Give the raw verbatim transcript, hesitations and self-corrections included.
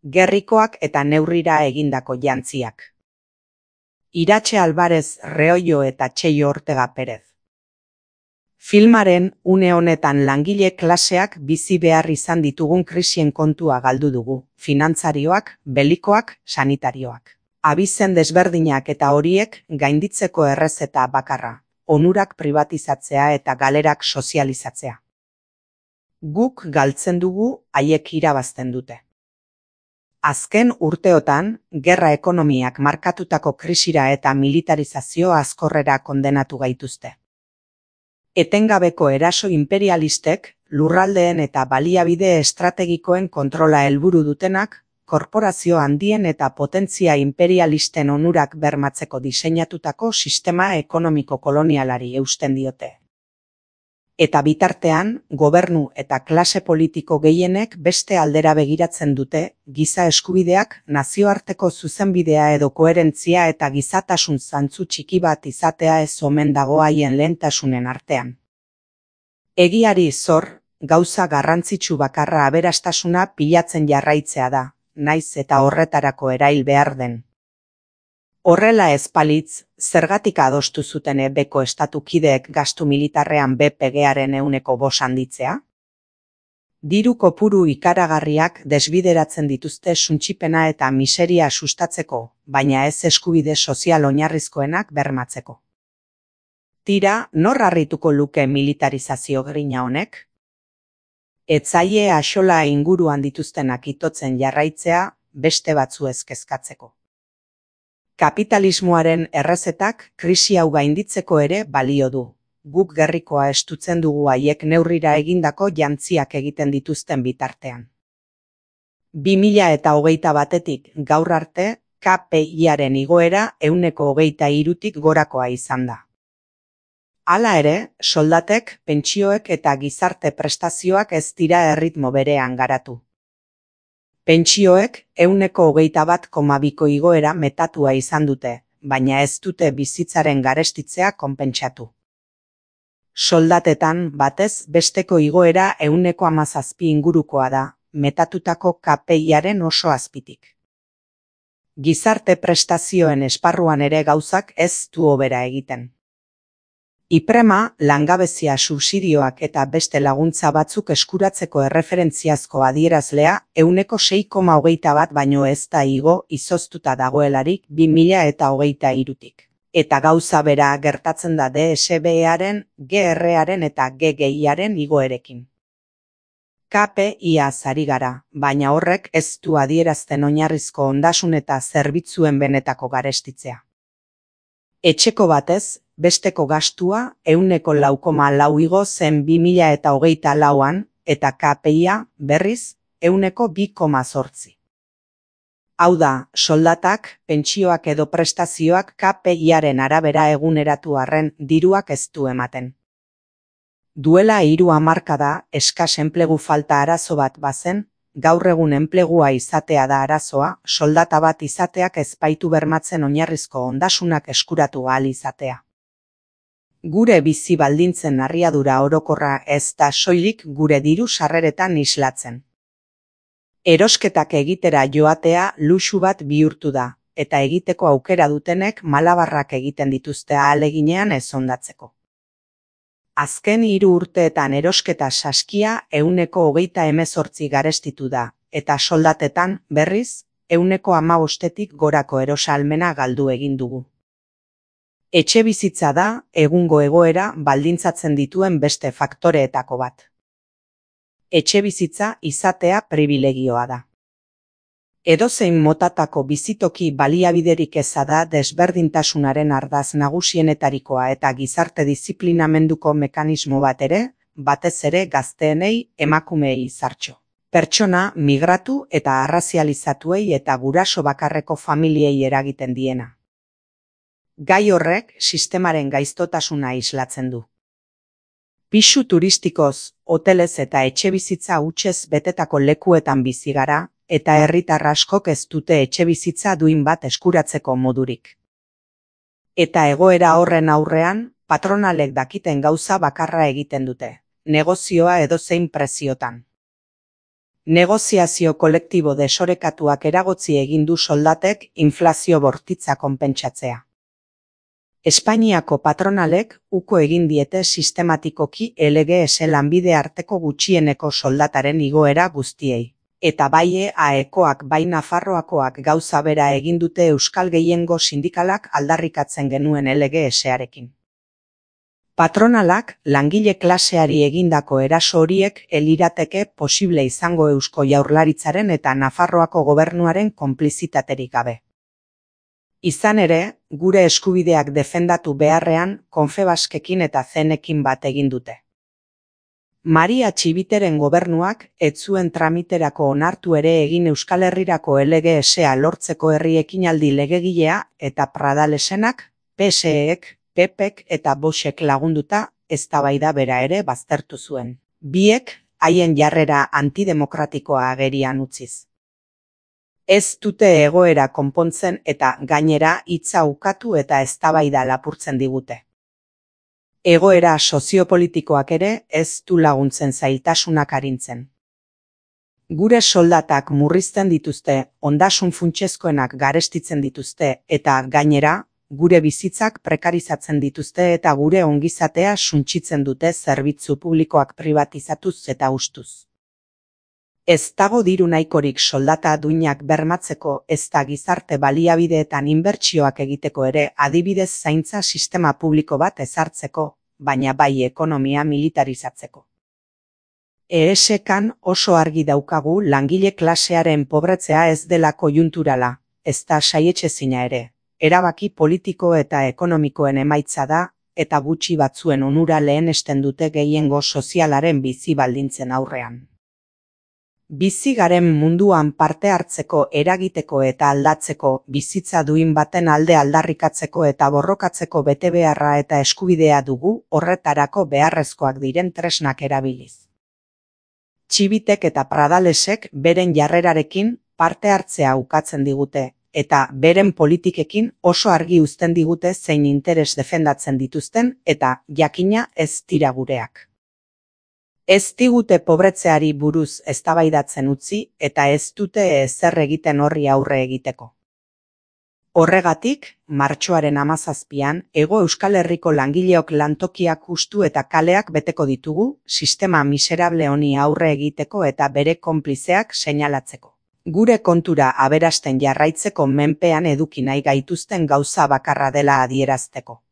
gerrikoak eta neurrira egindako jantziak. Iratxe Alvarez Reollo eta Txello Ortega Perez. Filmaren une honetan langile klaseak bizi behar izan ditugun krisien kontua galdu dugu, finantzarioak, belikoak, sanitarioak. Abizen desberdinak eta horiek gainditzeko errezeta bakarra, onurak pribatizatzea eta galerak sozializatzea. Guk galtzen dugu, haiek irabazten dute. Azken urteotan, gerra ekonomiak markatutako krisira eta militarizazio azkorrera kondenatu gaituzte. Etengabeko eraso imperialistek, lurraldeen eta baliabide estrategikoen kontrola helburu dutenak, korporazio handien eta potentzia imperialisten onurak bermatzeko diseinatutako sistema ekonomiko kolonialari eusten diote. Eta bitartean, gobernu eta klase politiko gehienek beste aldera begiratzen dute, giza eskubideak, nazioarteko zuzenbidea edo koherentzia eta gizatasun zantzu txiki bat izatea ez omen dago haien lehentasunen artean. Egiari zor, gauza garrantzitsu bakarra aberastasuna pilatzen jarraitzea da, naiz eta horretarako erail behar den. Horrela ez balitz, zergatik adostu zuten ebeko estatukideek gastu militarrean B P G-aren ehuneko bost handitzea? Diru kopuru ikaragarriak desbideratzen dituzte suntsipena eta miseria sustatzeko, baina ez eskubide sozial oinarrizkoenak bermatzeko. Tira, nor harrituko luke militarizazio grina honek? Ez zaie axola inguruan dituztenak itotzen jarraitzea beste batzuez kezkatzeko. Kapitalismoaren errezetak krisi hau gainditzeko ere balio du. Guk gerrikoa estutzen dugu haiek neurrira egindako jantziak egiten dituzten bitartean. bi mila eta hogeita batetik gaur arte, K P I-aren igoera ehuneko hogeita hirutik gorakoa izan da. Hala ere, soldatek, pentsioek eta gizarte prestazioak ez dira erritmo berean garatu. Pentsioek ehuneko hogeita bat koma biko igoera metatua izan dute, baina ez dute bizitzaren garestitzea konpentsatu. Soldatetan batez besteko igoera ehuneko hamazazpi ingurukoa da, metatutako K P I-aren oso azpitik. Gizarte prestazioen esparruan ere gauzak ez du hobera egiten. Iprema, langabezia subsidioak eta beste laguntza batzuk eskuratzeko erreferentziazko adierazlea ehuneko sei koma hogeita bat baino ez da igo izoztuta dagoelarik bi mila eta hogeita hirutik. Eta gauza bera gertatzen da D S B E-aren, G R-aren eta G G I-aren igoerekin. K P I-az ari gara, baina horrek ez du adierazten oinarrizko ondasun eta zerbitzuen benetako garestitzea. Etxeko batez, besteko gastua ehuneko lau koma lau igo zen bi mila eta hogeita lauan eta K P I-a berriz ehuneko bi koma zortzi. Hau da, soldatak, pentsioak edo prestazioak K P I-aren arabera eguneratu arren diruak ez du ematen. Duela hiru hamarkada eskas enplegu falta arazo bat bazen, gaur egun enplegua izatea da arazoa, soldata bat izateak ez baitu bermatzen oinarrizko ondasunak eskuratu ahal izatea. Gure bizi baldintzen narriadura orokorra ez da soilik gure diru sarreretan islatzen. Erosketak egitera joatea luxu bat bihurtu da, eta egiteko aukera dutenek malabarrak egiten dituzte ahaleginean ez ondatzeko. Azken hiru urteetan erosketa saskia ehuneko hogeita hemezortzi garestitu da, eta soldatetan, berriz, ehuneko hamabostetik gorako erosahalmena galdu egin dugu. Etxebizitza da, egungo egoera baldintzatzen dituen beste faktoreetako bat. Etxebizitza izatea pribilegioa da. Edozein motatako bizitoki baliabiderik eza da desberdintasunaren ardaz nagusienetarikoa eta gizarte diziplinamenduko mekanismo bat ere, batez ere gazteenei, emakumeei zartxo. Pertsona, migratu eta arrazializatuei eta guraso bakarreko familiei eragiten diena. Gai horrek sistemaren gaiztotasuna islatzen du. Pisu turistikoz, hotelez eta etxebizitza hutsez betetako lekuetan bizi gara, eta herritar askok ez dute etxebizitza duin bat eskuratzeko modurik. Eta egoera horren aurrean, patronalek dakiten gauza bakarra egiten dute, negozioa edozein preziotan. Negoziazio kolektibo desorekatuak eragotzi egin du soldatek inflazio bortitza konpentsatzea. Espainiako patronalek uko egin diete sistematikoki L G S lanbide arteko gutxieneko soldataren igoera guztiei. Eta bai E A Ekoak bai Nafarroakoak gauza bera egin dute euskal gehiengo sindikalak aldarrikatzen genuen L G S-arekin. Patronalak langile klaseari egindako eraso horiek elirateke posible izango Eusko Jaurlaritzaren eta Nafarroako gobernuaren konplizitaterik gabe. Izan ere, gure eskubideak defendatu beharrean Confebaskekin eta Zenekin bat egin dute. Maria Txibiteren gobernuak ez zuen tramiterako onartu ere egin Euskal Herrirako L G S-a lortzeko herri ekinaldi legegilea eta Pradalesenak, P S E-ek, P P-ek eta Voxek lagunduta eztabaida bera ere baztertu zuen. Biek haien jarrera antidemokratikoa agerian utziz. Ez dute egoera konpontzen eta gainera hitza ukatu eta eztabaida lapurtzen digute. Egoera soziopolitikoak ere ez du laguntzen zailtasunak arintzen. Gure soldatak murrizten dituzte, ondasun funtsezkoenak garestitzen dituzte eta gainera, gure bizitzak prekarizatzen dituzte eta gure ongizatea suntsitzen dute zerbitzu publikoak privatizatuz eta hustuz. Ez dago diru nahikorik soldata duinak bermatzeko ezta gizarte baliabideetan inbertsioak egiteko ere adibidez zaintza sistema publiko bat ezartzeko, baina bai ekonomia militarizatzeko. E S K-an oso argi daukagu langile klasearen pobretzea ez dela koiunturala, ezta saietsezina ere. Erabaki politiko eta ekonomikoen emaitza da, eta gutxi batzuen onura lehenesten dute gehiengo sozialaren bizi baldintzen aurrean. Bizi garen munduan parte hartzeko, eragiteko eta aldatzeko, bizitza duin baten alde aldarrikatzeko eta borrokatzeko betebeharra eta eskubidea dugu horretarako beharrezkoak diren tresnak erabiliz. Txibitek eta Pradalesek beren jarrerarekin parte hartzea ukatzen digute, eta beren politikekin oso argi uzten digute zein interes defendatzen dituzten eta jakina ez dira gureak. Ez digute pobretzeari buruz eztabaidatzen utzi eta ez dute ezer egiten horri aurre egiteko. Horregatik, martxoaren hamazazpian, Hego Euskal Herriko langileok lantokiak hustu eta kaleak beteko ditugu, sistema miserable honi aurre egiteko eta bere konplizeak seinalatzeko. Gure kontura aberasten jarraitzeko menpean eduki nahi gaituzten gauza bakarra dela adierazteko.